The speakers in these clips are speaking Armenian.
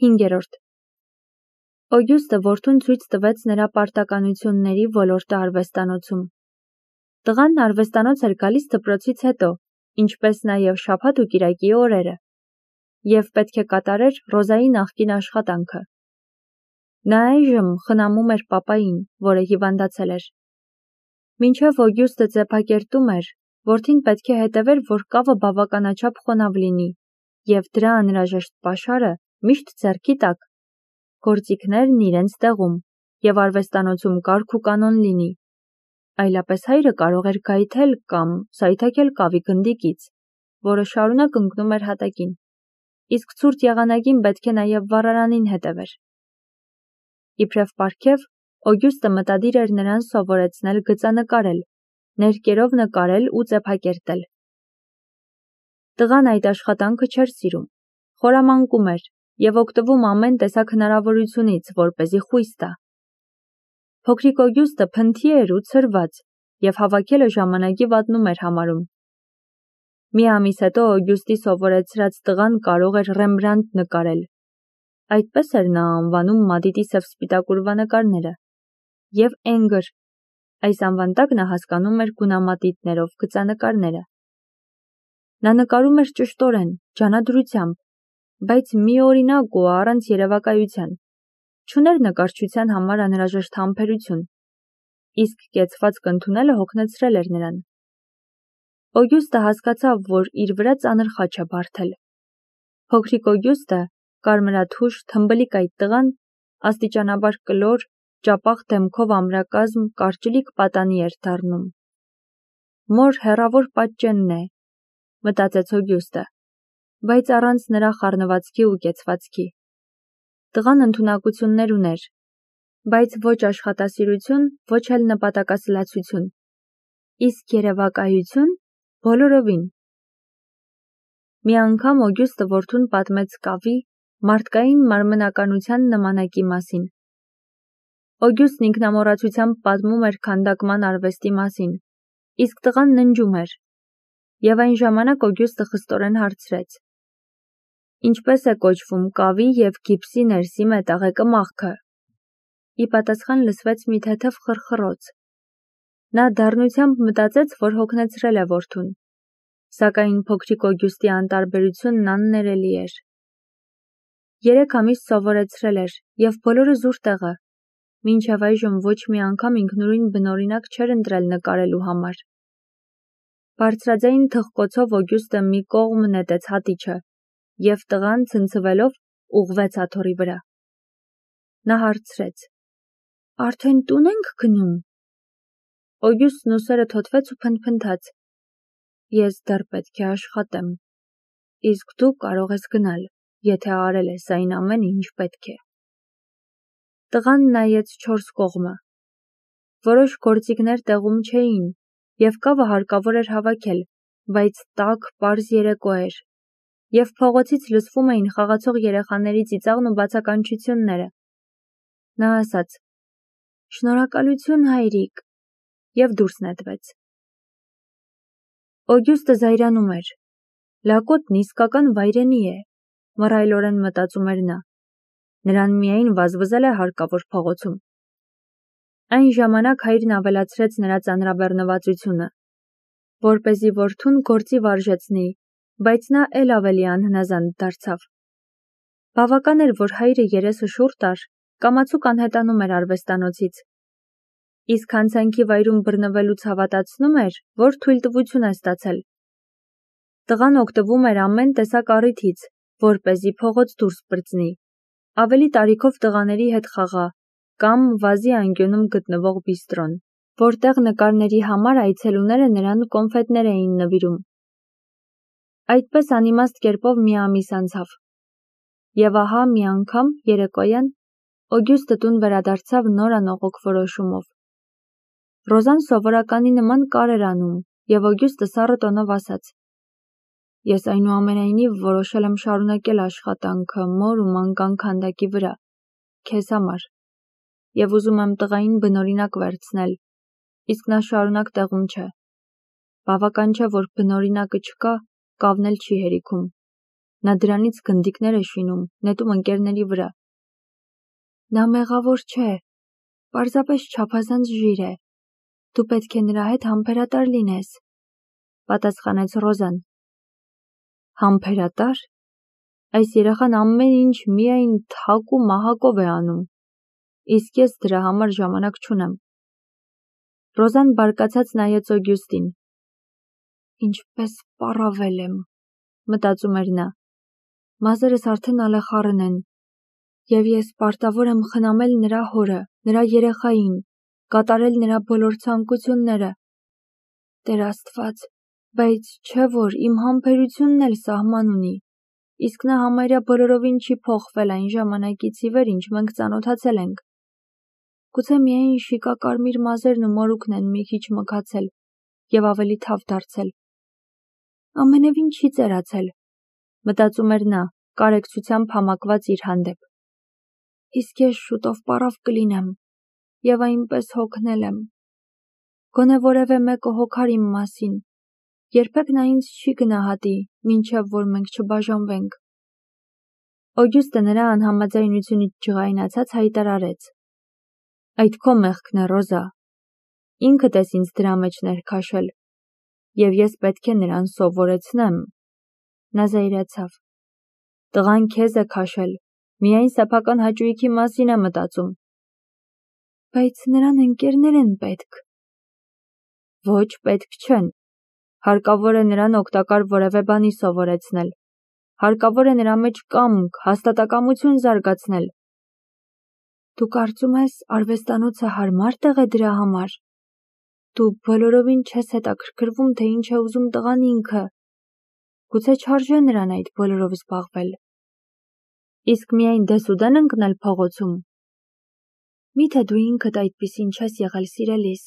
5. Օգյուստը որդուն ցույց տվեց նրա պարտականությունների ոլորտը արվեստանոցում։ Տղան արվեստանոց էր գալիս դպրոցից հետո, ինչպես նաև շաբաթ ու կիրակի օրերը, և պետք է կատարեր Ռոզայի նախկին աշխատանքը։ Նա այժմ խնամում էր պապային, որը հիվանդացել էր։ Մինչև Օգյուստը ձեփակերտում էր, որդին պետք է հետևեր, որ կավը բավականաչափ խոնավ լինի, և դրա անհրաժեշտ պաշարը միշտ ձեռքի տակ, գործիքներն իրենց տեղում, և արվեստանոցում կարգ ու կանոն լինի։ Այլապես հայրը կարող էր գայթել կամ սայթաքել կավի գնդիկից, որը շարունակ ընկնում էր հատակին, իսկ ցուրտ եղանակին պետք է նաև վառարանին հետևեր։ Իբրև պարգև, Օգյուստը մտադիր էր նրան սովորեցնել գծանկարել, ներկերով նկարել ու ձեփակերտել։ Տղան այդ աշխատանքը չէր սիրում, խորամանկում էր և օգտվում ամեն տեսակ հնարավորությունից, որպեսզի խույս տա։ Փոքրիկ Օգյուստը փնթի էր ու ցրված, և հավաքելը ժամանակի վատնում էր համարում։ Մի ամիս հետո Օգյուստի սովորեցրած տղան կարող էր Ռեմբրանտ նկարել, այդպես էր նա անվանում Մադիդի սև-սպիտակ ուրվանկարները, և Էնգր, այս անվան տակ նա հասկանում էր գունամատիտներով գծանկարները։ Նա նկարում էր ճշտորեն, ջանադրությամբ, բայց միօրինակ ու առանց երևակայության, չուներ նկարչության համար անհրաժեշտ համբերություն, իսկ կեցվածք ընդունելը հոգնեցրել էր նրան։ Օգյուստը հասկացավ, որ իր վրա ծանր խաչ է բարդել։ Փոքրիկ Օգյուստը, կարմրաթուշ, թմբլիկ այդ տղան, աստիճանաբար կլոր, ճապաղ դեմքով ամրակազմ, կարճլիկ պատանի էր դառնում։ Մոր հեռավոր պատճենն է, մտածեց Օգյուստը, բայց առանց նրա խառնվածքի ու կեցվածքի։ Տղան ընդունակություններ ուներ, բայց ոչ աշխատասիրություն, ոչ էլ նպատակասլացություն, իսկ երևակայություն բոլորովին։ Մի անգամ Օգյուստը որդուն պատմեց կավի, մարդկային մարմնականության նմանակի մասին։ Օգյուստն ինքնամոռացությամբ պատմում էր քանդակման արվեստի մասին, իսկ տղան ննջում էր, և այն ժամանակ Օգյուստը խստորեն հարցրեց. «Ինչպես է կոչվում կավի և գիպսի ներսի մետաղե կմախքը»։ Ի պատասխան լսվեց մի թեթև խռխռոց։ Նա դառնությամբ մտածեց, որ հոգնեցրել է որդուն, սակայն փոքրիկ Օգյուստի անտարբերությունն աններելի էր։ 3 ամիս սովորեցրել էր, և բոլորը զուր տեղը, մինչև այժմ ոչ մի անգամ ինքնուրույն բնօրինակ չէր ընտրել նկարելու համար։ Բարձրաձայն թխկոցով Օգյուստը մի կողմ նետեց հատիչը, և տղան, ցնցվելով, ուղղվեց աթոռի վրա։ Նա հարցրեց. «Արդեն տուն ենք գնում»։ Օգյուստն ուսերը թոթվեց ու փնթփնթաց. «Ես դեռ պետք է աշխատեմ, իսկ դու կարող ես գնալ, եթե արել ես այն ամենը, ինչ պետք է»։ Տղան նայեց 4 կողմը։ Որոշ գործիքներ տեղում չէին, և կավը հարկավոր էր հավաքել, բայց տաք, պարզ երեկո էր, և փողոցից լսվում էին խաղացող երեխաների ծիծաղն ու բացականչությունները։ Նա ասաց. «Շնորհակալություն, հայրիկ», և դուրս նետվեց։ Օգյուստը զայրանում էր։ Լակոտն իսկական վայրենի է, մռայլորեն մտածում էր նա։ Նրան միայն վազվզել է հարկավոր փողոցում։ Այն ժամանակ հայրն ավելացրեց նրա ծանրաբեռնվածությունը, որպեսզի որդուն գործի վարժեցնի, բայց նա էլ ավելի անհնազանդ դարձավ։ Բավական էր, որ հայրը երեսը շուռ տար, կամացուկ անհետանում էր արվեստանոցից, իսկ հանցանքի վայրում բռնվելուց հավատացնում էր, որ թույլտվություն է ստացել։ Տղան օգտվում էր ամեն տեսակ առիթից, որպեսզի փողոց դուրս պրծնի, ավելի տարիքով տղաների հետ խաղա կամ վազի անկյունում գտնվող բիստրոն, որտեղ նկարների համար այցելուները նրան կոնֆետներ էին նվիրում։ Այդպես անիմաստ կերպով մի ամիս անցավ։ Եվ ահա մի անգամ երեկոյան Օգյուստը տուն վերադարձավ նոր անողոք որոշումով։ Ռոզան սովորականի նման կար էր անում, և Օգյուստը սառը տոնով ասաց. «Ես այնուամենայնիվ որոշել եմ շարունակել աշխատանքը մոր ու մանկան քանդակի վրա, քեզ համար, և ուզում եմ տղային բնօրինակ վերցնել, իսկ նա շարունակ տեղում չէ։ Բավական չէ, որ բնօրինակը չկա, կավն էլ չի հերիքում»։ Նա դրանից գնդիկներ է շինում, նետում ընկերների վրա։ Նա մեղավոր չէ, պարզապես չափազանց ժիր է։ Դու պետք է նրա հետ համբերատար լինես, պատասխանեց Ռոզան։ Համբերատար։ Այս երեխան ամեն ինչ միայն թակ ու մահակով է անում, իսկ ես դրա համար ժամանակ չունեմ։ Ռոզան բարկացած նայեց Օգյուստին։ Ինչպես պառավել եմ, մտածում էր նա։ Մազերս արդեն ալեխառն են, և ես պարտավոր եմ խնամել նրա հորը, նրա երեխային, կատարել նրա բոլոր ցանկությունները։ Տեր Աստված, բայց չէ որ իմ համբերությունն էլ սահման ունի, իսկ նա համարյա բոլորովին չի փոխվել այն ժամանակից ի վեր, ինչ մենք ծանոթացել ենք։ Գուցե միայն շիկակարմիր մազերն ու մորուքն են մի քիչ մքացել և ավելի թավ դարձել։ Ամենևին չի ծերացել, մտածում էր նա, կարեկցությամբ համակված իր հանդեպ։ Իսկ ես շուտով պառավ կլինեմ և այնպես հոգնել եմ։ Գոնե որևէ մեկը հոգար իմ մասին, երբեք նա ինձ չի գնահատի, մինչև որ մենք չբաժանվենք։ Օգյուստը նրա անհամաձայնությունից ջղայնացած հայտարարեց. Այդ քո մեղքն է, Ռոզա։ Ինքդ ես ինձ դրա մեջ ներքաշել, և ես պետք է նրան սովորեցնեմ։ Նա զայրացավ։ Տղան քեզ է քաշել, միայն սեփական հաճույքի մասին է մտածում։ Բայց նրան ընկերներ են պետք։ Ոչ, պետք չեն։ Հարկավոր է նրան օգտակար որևէ բանի սովորեցնել։ Հարկավոր է նրա մեջ կամք, հաստատակամություն զարգացնել։ Դու կարծում ես արվեստանոցը հարմար տեղ է դրա համար։ Դու բոլորովին չես հետաքրքրվում, թե ինչ է ուզում տղան ինքը։ Գուցե չարժե նրան այդ բոլորով զբաղվել։ Իսկ միայն դեսուդեն ընկնել փողոցում։ Միթե դու ինքդ այդպիսին չես եղել, սիրելիս։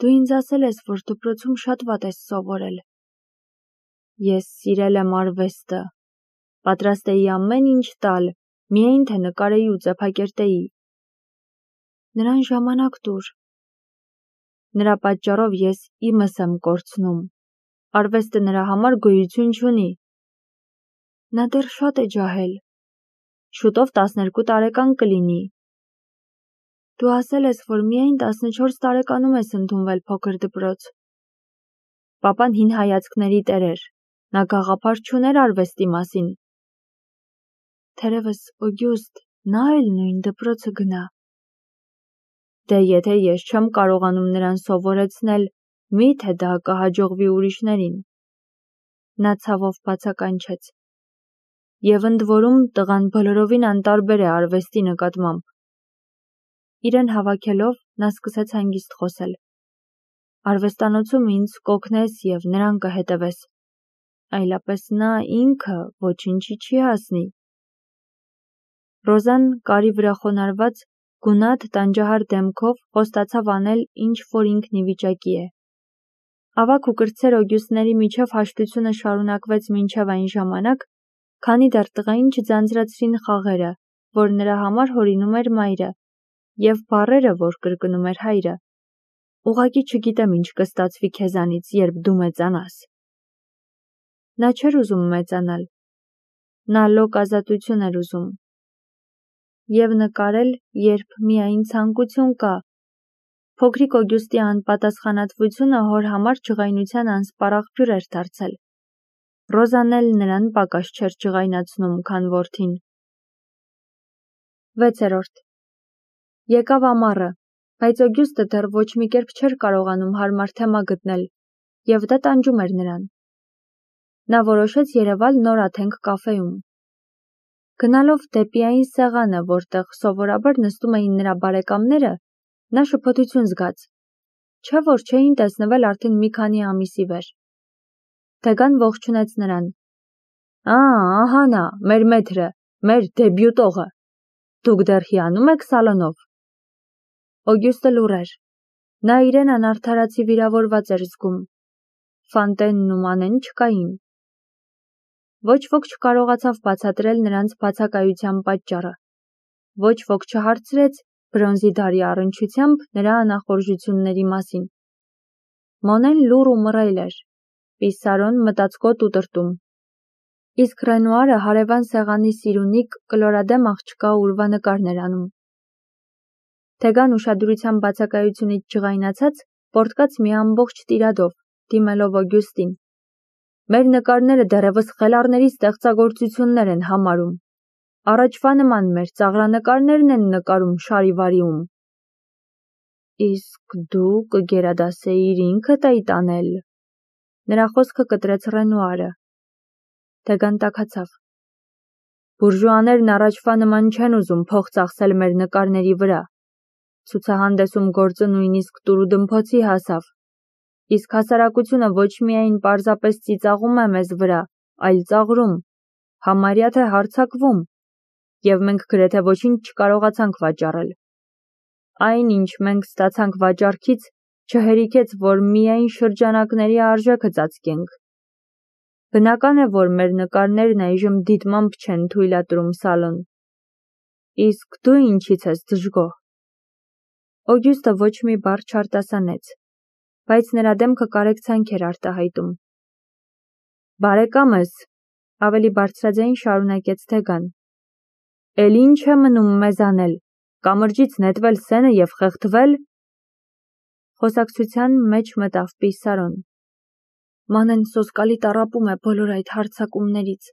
Դու ինձ ասել ես, որ դպրոցում շատ վատ ես սովորել։ Ես սիրել եմ արվեստը։ Պատրաստ էի ամեն ինչ տալ, միայն թե նկարեի ու ծեփակերտեի։ Նրան ժամանակ տուր։ Նրա պատճառով ես իմս եմ կորցնում։ Արվեստը նրա համար գոյություն չունի։ Նա դեռ շատ է ջահել։ Շուտով 12 տարեկան կլինի։ Դու ասել ես, որ միայն 14 տարեկանում ես ընդունվել փոքր դպրոց։ Պապան հին հայացքների տեր էր։ Նա գաղափար չուներ արվեստի մասին։ Թերևս Օգյուստ, նա էլ նույն դպրոցը գնա։ Դե եթե ես չեմ կարողանում նրան սովորեցնել, միթե դա կհաջողվի ուրիշներին։ Նա ցավով բացականչեց։ Եվ ընդ որում տղան բոլորովին անտարբեր է արվեստի նկատմամբ։ Իրեն հավաքելով նա սկսեց հանգիստ խոսել։ Արվեստանոցում ինձ կօգնես և նրան կհետևես։ Այլապես նա ինքը ոչինչի չի հասնի։ Ռոզան կարի վրա խոնարհված գունատ տանջահար դեմքով խոստացավ անել, ինչ որ ինքն ի վիճակի է։ Ավագ ու կրտսեր Օգյուստների միջև հաշտությունը շարունակվեց մինչև այն ժամանակ, քանի դեռ տղային չձանձրացրին խաղերը, որ նրա համար հորինում էր մայրը, և բառերը, որ կրկնում էր հայրը։ Ուղղակի չգիտեմ ինչ կստացվի քեզանից, երբ դու մեծանաս։ Նա չէր ուզում մեծանալ։ Նա լոկ ազատություն էր ուզում։ Եվ նկարել, երբ միայն ցանկություն կա։ Փոքրիկ Օգյուստի անպատասխանատվությունը հոր համար ջղայնության անսպառ էր դարձել։ Ռոզան էլ նրան պակաս չէր ջղայնացնում, քան որդին։ 6. Եկավ ամառը, բայց Օգյուստը դեռ ոչ մի կերպ չէր կարողանում հարմար թեմա գտնել, և դա տանջում էր նրան։ Նա որոշեց երևալ նոր Աթենք կաֆեում։ Գնալով դեպի այն սեղանը, որտեղ սովորաբար նստում էին նրա բարեկամները, նա շփոթություն զգաց։ Չէ որ չէին տեսնվել արդեն մի քանի ամիս ի վեր։ Դեգան ողջունեց նրան։ Ահա նա, մեր մեթրը, մեր դեբյուտողը։ Դուք դեռ հիանում եք սալոնով։ Օգյուստը լուռ էր։ Նա իրեն անարդարացի վիրավորված էր զգում։ Ֆանտենն ու Մանեն չկային։ Ոչ ոք չկարողացավ բացատրել նրանց բացակայության պատճառը։ Ոչ ոք չհարցրեց բրոնզի դարի առնչությամբ նրա անախորժությունների մասին։ Մոնեն լուռ ու մռայլ էր, Պիսարոն մտածկոտ ու տրտում։ Իսկ Ռենուարը հարևան սեղանի սիրունիկ կլորադեմ աղջկա ուրվա նկարներ անում։ Թեգան ուշադրության բացակայությունից ջղայնացած, պոռթկաց մի ամբողջ տիրադով, դիմելով Օգյուստին։ Մեր նկարները դեռևս խելառների ստեղծագործություններ են համարում։ Առաջվա նման մեր ծաղրանկարներն են նկարում շարիվարիում։ Իսկ դու կգերադասեիր ինքդ այդ անել։ Նրա խոսքը կտրեց Ռենուարը։ Թեգան տաքացավ։ Բուրժուաներն առաջվա նման չեն ուզում փող ծախսել մեր նկարների վրա։ Ցուցահանդեսում գործը նույնիսկ տուրուդմփոցի հասավ։ Իսկ հասարակությունը ոչ միայն պարզապես ծիծաղում է մեզ վրա, այլ ծաղրում, համարյա թե հարձակվում, և մենք գրեթե ոչինչ չկարողացանք վաճառել։ Այն, ինչ մենք ստացանք վաճառքից, չհերիքեց, որ միայն շրջանակների արժեքը ծածկենք։ Բնական է, որ մեր նկարներն այժմ դիտմամբ չեն թույլատրում սալոն։ Իսկ դու ինչից ես դժգոհ։ Օգյուստը ոչ մի բառ չարտասանեց, բայց նրա դեմքը կարեկցանք էր արտահայտում։ Բարեկամս, ավելի բարձրաձայն շարունակեց Թեգան, էլ ինչ է մնում մեզ անել, կամրջից նետվել սենը և խեղդվել։ Խոսակցության մեջ մտավ Պիսարոն։ Մանեն սոսկալի տառապում է բոլոր այդ հարձակումներից,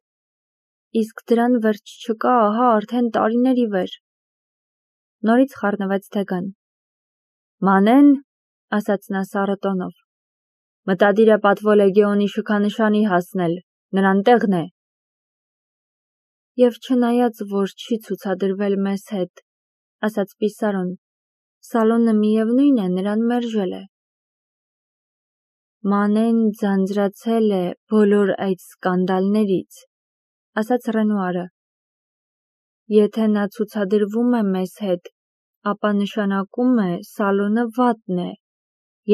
իսկ դրան վերջ չկա ահա արդեն տարիներ ի վեր։ Նորից խառնվեց Թեգան։ Մանեն, ասաց նա սառը տոնով, մտադիր է պատվո լեգեոնի շքանշանի հասնել, նրան տեղն է։ Եվ չնայած, որ չի ցուցադրվել մեզ հետ, ասաց Պիսարոն, սալոնը միևնույն է նրան մերժել է։ Մանեն ձանձրացել է բոլոր այդ սկանդալներից, ասաց Ռենուարը։ Եթե նա ցուցադրվում է մեզ հետ, ապա նշանակում է սալոնը վատն է։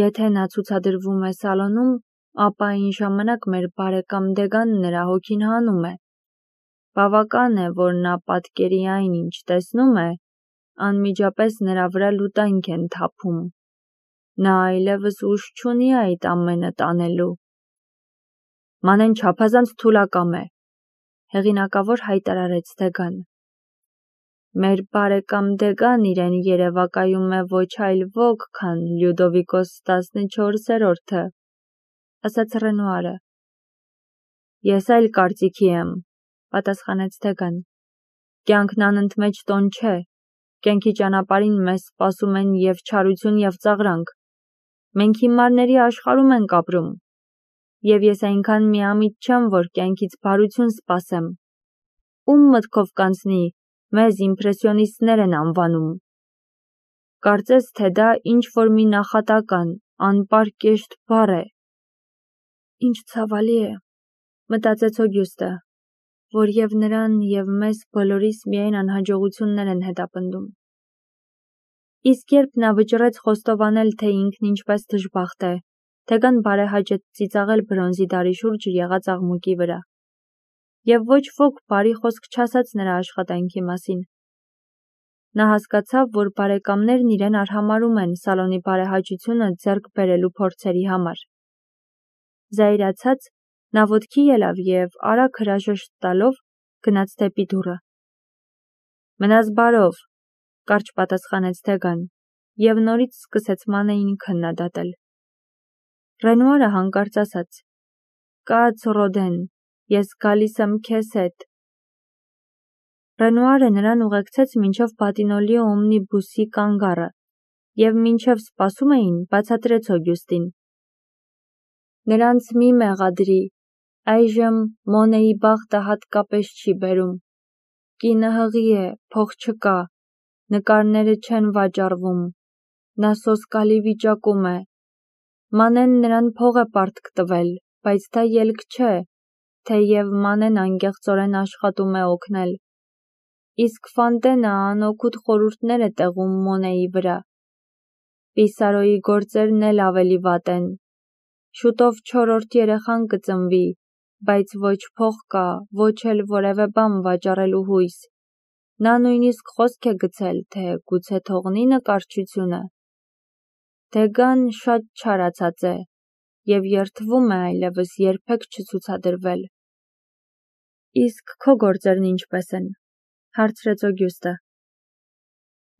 Եթե նա ցուցադրվում է սալոնում, ապա այն ժամանակ մեր բարեկամ Դեգան նրա հոգին հանում է։ Բավական է, որ նա պատկերի այն, ինչ տեսնում է, անմիջապես նրա վրա լուտանք են թափում։ Նա այլևս ուժ չունի այդ ամենը տանելու։ Մանեն չափազանց թուլակամ է, հեղինակավոր հայտարարեց Դեգան։ Մեր բարեկամ Դեգան իրեն երևակայում է ոչ այլ ոք, քան Լյուդովիկոս 14-րդը, ասաց Ռենուարը։ Ես այլ կարծիքի եմ, պատասխանեց Դեգան։ Կյանքն անընդմեջ տոն չէ, կյանքի ճանապարհին մեզ սպասում են և չարություն և ծաղրանք։ Մենք հիմարների աշխարհում ենք ապրում, և ես այնքան միամիտ չեմ, որ կյանքից բարություն սպասեմ։ Ում մտքով կանցնի, մեզ իմպրեսիոնիստներ են անվանում։ Կարծես, թե դա ինչ-որ մի նախատական, անպարկեշտ բառ է։ Ինչ ցավալի է, մտածեց Օգյուստը, որ և նրան, և մեզ բոլորիս միայն անհաջողություններ են հետապնդում։ Իսկ երբ նա վճռեց խոստովանել, թե ինքն ինչպես դժբախտ է, Թեգան բարեհաճեց ծիծաղել բրոնզի դարի շուրջ եղած աղմուկի վրա։ Եվ ոչ ոք բարի խոսք չասաց նրա աշխատանքի մասին։ Նա հասկացավ, որ բարեկամներն իրեն արհամարհում են սալոնի բարեհաճությունը ձեռք բերելու փորձերի համար։ Զայրացած, նա ոտքի ելավ և արագ հրաժեշտ տալով գնաց դեպի դուռը։ Մնաս բարով, կարճ պատասխանեց Թեգան, և նորից սկսեց Մանեին քննադատել։ Ռենուարը հանկարծ ասաց. Կաց Ռոդեն, ես գալիս եմ քեզ հետ։ Ռենուարը նրան ուղեկցեց մինչև Բատինոլի օմնիբուսի կանգառը, և մինչև սպասում էին, բացատրեց Օգյուստին. Նրանց մի մեղադրի, այժմ Մոնեի բախտը հատկապես չի բերում։ Կինը հղի է, փող չկա, նկարները չեն վաճառվում, նա սոսկալի վիճակում է։ Մանեն նրան փող է պարտք տվել, բայց դա ելք չէ, թեև Մանեն անկեղծորեն աշխատում է օգնել։ Իսկ Ֆանտենը անօգուտ խորհուրդներ է տեղում Մոնեի վրա։ Պիսարոյի գործերն էլ ավելի վատ են։ Շուտով 4-րդ երեխան կծնվի, բայց ոչ փող կա, ոչ էլ որևէ բան վաճառելու հույս։ Նա նույնիսկ խոսք է գցել, թե գուցե թողնի նկարչությունը։ Դեգան շատ չարացած է և երդվում է այլևս երբեք չցուցադրվել։ Իսկ քո գործերն ինչպես են, հարցրեց Օգյուստը։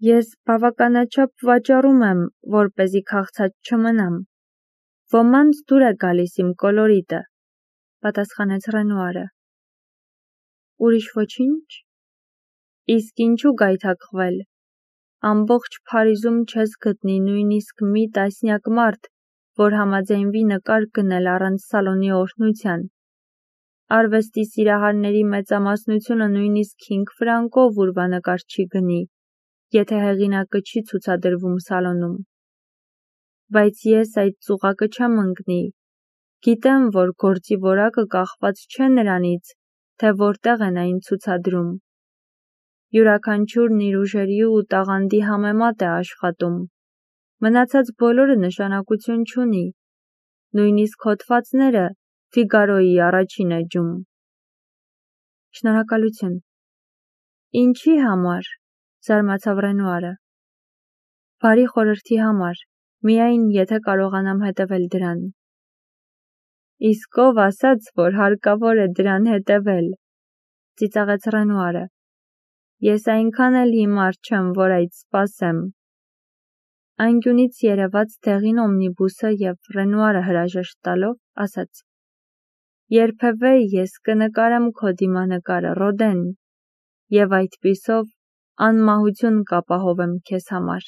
Ես բավականաչափ վաճառում եմ, որպեսզի քաղցած չմնամ։ Ոմանց դուր է գալիս իմ կոլորիտը, պատասխանեց Ռենուարը։ Ուրիշ ոչինչ։ Իսկ ինչու գայթակղվել։ Ամբողջ Փարիզում չես գտնի նույնիսկ մի տասնյակ մարդ, որ համաձայնվի նկար գնել առանց սալոնի օրհնության։ Արվեստի սիրահարների մեծամասնությունը նույնիսկ 5 ֆրանկով ուրվանկար չի գնի, եթե հեղինակը չի ցուցադրվում սալոնում։ Բայց ես այդ ծուղակը չեմ ընկնի։ Գիտեմ, որ գործի որակը կախված չէ նրանից, թե որտեղ են այն ցուցադրում։ Յուրաքանչյուրն իր ուժերի ու տաղանդի համեմատ է աշխատում։ Մնացած բոլորը նշանակություն չունի։ Նույնիսկ հոդվածները Ֆիգարոյի առաջին էջում։ Շնորհակալություն։ Ինչի համար, զարմացավ Ռենուարը։ Բարի խորհրդի համար, միայն եթե կարողանամ հետևել դրան։ Իսկ ով ասաց, որ հարկավոր է դրան հետևել, ծիծաղեց Ռենուարը։ Ես այնքան էլ հիմար չեմ, որ այդ սպասեմ։ Անկյունից երևաց դեղին օմնիբուսը և Ռենուարը հրաժեշտ տալով ասաց. Երբևէ ես կնկարեմ քո դիմանկարը, Ռոդեն, և այդպիսով անմահություն կապահովեմ քեզ համար։